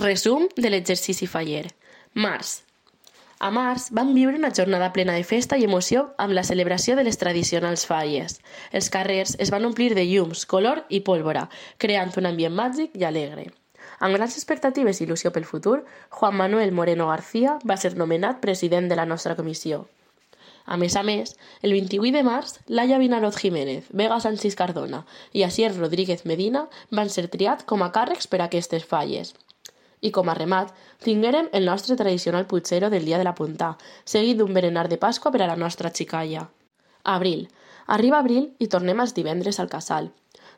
Resum de l'exercici faller. Març. A març vam viure una jornada plena de festa i emoció amb la celebració de les tradicionals falles. Els carrers es van omplir de llums, color i pólvora, creant un ambient màgic i alegre. Amb grans expectatives i il·lusió pel futur, Juan Manuel Moreno García va ser nomenat president de la nostra comissió. A més, el 28 de març, Laia Vinaroz Jiménez, Vega Sánchez Cardona i Asier Rodríguez Medina van ser triats com a càrrecs per a aquestes falles. I com a remat, tinguérem el nostre tradicional putxero del dia de la punta, seguit d'un berenar de Pasqua per a la nostra xicalla. Abril. Arriba abril i tornem els divendres al casal.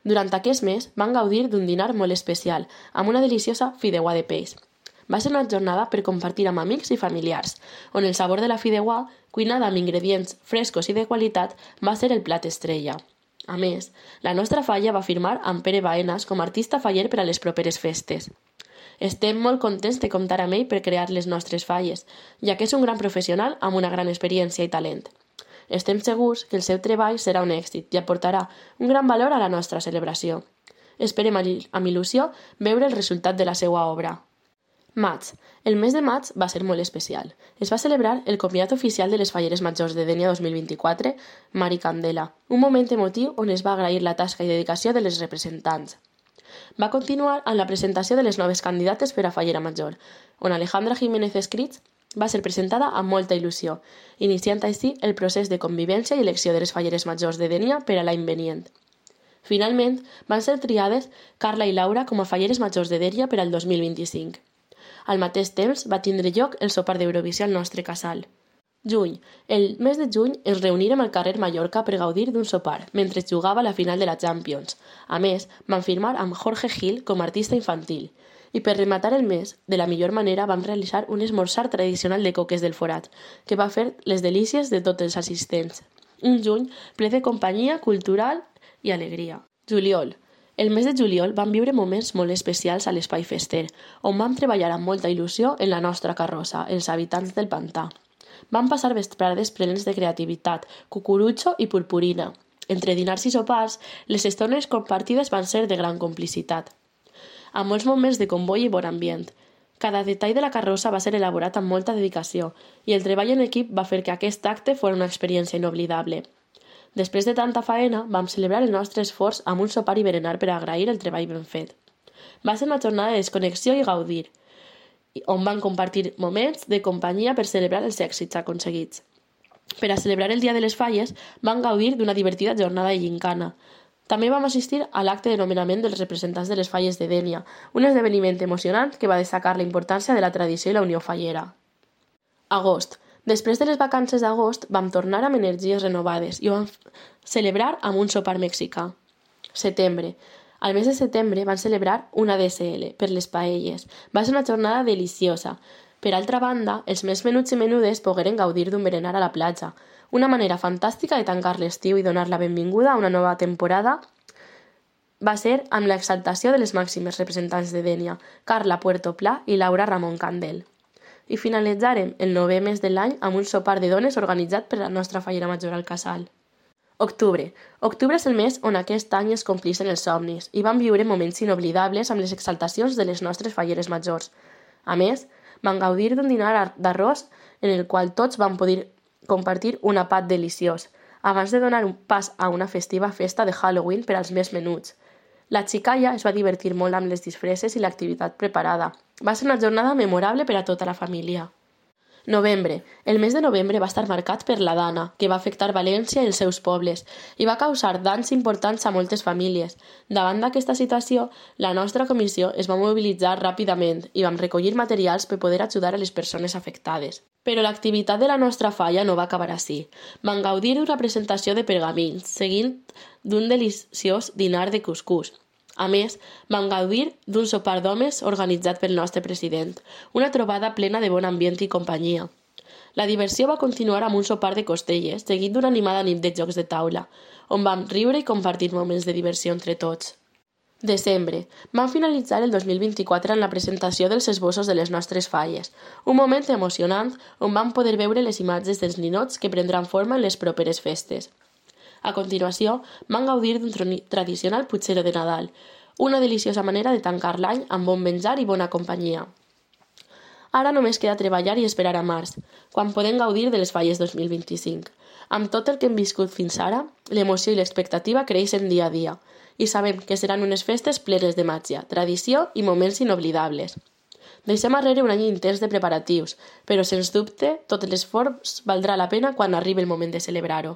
Durant aquest mes van gaudir d'un dinar molt especial, amb una deliciosa fideuà de peix. Va ser una jornada per compartir amb amics i familiars, on el sabor de la fideuà, cuinada amb ingredients frescos i de qualitat, va ser el plat estrella. A més, la nostra falla va firmar amb Pere Baenas com a artista faller per a les properes festes. Estem molt contents de comptar amb ell per crear les nostres falles, ja que és un gran professional amb una gran experiència i talent. Estem segurs que el seu treball serà un èxit i aportarà un gran valor a la nostra celebració. Esperem amb il·lusió veure el resultat de la seva obra. Maig. El mes de maig va ser molt especial. Es va celebrar el convidat oficial de les Falleres Majors de Dénia 2024, Mari Candela, un moment emotiu on es va agrair la tasca i dedicació de les representants. Va continuar amb la presentació de les noves candidates per a Fallera Major, on Alejandra Jiménez Escrits va ser presentada amb molta il·lusió, iniciant així el procés de convivència i elecció de les Falleres Majors de Dénia per a l'any venient. Finalment, van ser triades Carla i Laura com a Falleres Majors de Dénia per al 2025. Al mateix temps va tindre lloc el sopar d'Eurovisió al nostre casal. Juny. El mes de juny ens reunirem al carrer Mallorca per gaudir d'un sopar, mentre jugava la final de la Champions. A més, van firmar amb Jorge Gil com a artista infantil. I per rematar el mes, de la millor manera vam realitzar un esmorzar tradicional de coques del forat, que va fer les delícies de tots els assistents. Un juny ple de companyia cultural i alegria. Juliol. El mes de juliol vam viure moments molt especials a l'Espai Fester, on vam treballar amb molta il·lusió en la nostra carrossa, els habitants del pantà. Vam passar vesprades plenes de creativitat, cucurutxo i purpurina. Entre dinars i sopars, les estones compartides van ser de gran complicitat. Amb molts moments de comboi i bon ambient. Cada detall de la carrossa va ser elaborat amb molta dedicació i el treball en equip va fer que aquest acte fos una experiència inoblidable. Després de tanta faena, vam celebrar el nostre esforç amb un sopar i berenar per agrair el treball ben fet. Va ser una jornada de desconnexió i gaudir, on van compartir moments de companyia per celebrar els èxits aconseguits. Per a celebrar el Dia de les Falles, van gaudir d'una divertida jornada de gincana. També vam assistir a l'acte de nomenament dels representants de les Falles de Dénia, un esdeveniment emocionant que va destacar la importància de la tradició i la unió fallera. Agost. Després de les vacances d'agost, vam tornar amb energies renovades i ho vam celebrar amb un sopar mexicà. Setembre. Al mes de setembre van celebrar una DSL per les paelles. Va ser una jornada deliciosa. Per altra banda, els més menuts i menudes pogueren gaudir d'un berenar a la platja. Una manera fantàstica de tancar l'estiu i donar la benvinguda a una nova temporada va ser amb l'exaltació de les màximes representants de Dénia, Carla Puerto Pla i Laura Ramon Candel. I finalitzarem el 9è mes de l'any amb un sopar de dones organitzat per la nostra Fallera Major al casal. Octubre. Octubre és el mes on aquest any es complixen els somnis i vam viure moments inoblidables amb les exaltacions de les nostres Falleres Majors. A més, vam gaudir d'un dinar d'arròs en el qual tots vam poder compartir un àpat deliciós, abans de donar un pas a una festiva festa de Halloween per als més menuts. La xicalla es va divertir molt amb les disfresses i l'activitat preparada. Va ser una jornada memorable per a tota la família. Novembre. El mes de novembre va estar marcat per la Dana, que va afectar València i els seus pobles, i va causar danys importants a moltes famílies. Davant d'aquesta situació, la nostra comissió es va mobilitzar ràpidament i vam recollir materials per poder ajudar a les persones afectades. Però l'activitat de la nostra falla no va acabar així. Van gaudir d'una presentació de pergamins, seguint d'un deliciós dinar de cuscús. A més, vam gaudir d'un sopar d'homes organitzat pel nostre president, una trobada plena de bon ambient i companyia. La diversió va continuar amb un sopar de costelles, seguit d'una animada nit de jocs de taula, on vam riure i compartir moments de diversió entre tots. Desembre. Vam finalitzar el 2024 en la presentació dels esbossos de les nostres falles, un moment emocionant on vam poder veure les imatges dels ninots que prendran forma en les properes festes. A continuació, vam gaudir d'un tradicional putxero de Nadal, Una deliciosa manera de tancar l'any amb bon menjar i bona companyia. Ara només queda treballar i esperar a març, quan podem gaudir de les falles 2025. Amb tot el que hem viscut fins ara, l'emoció i l'expectativa creixen dia a dia, i sabem que seran unes festes plenes de màgia, tradició i moments inoblidables. Deixem arrere un any intens de preparatius, però sens dubte tot l'esforç valdrà la pena quan arribi el moment de celebrar-ho.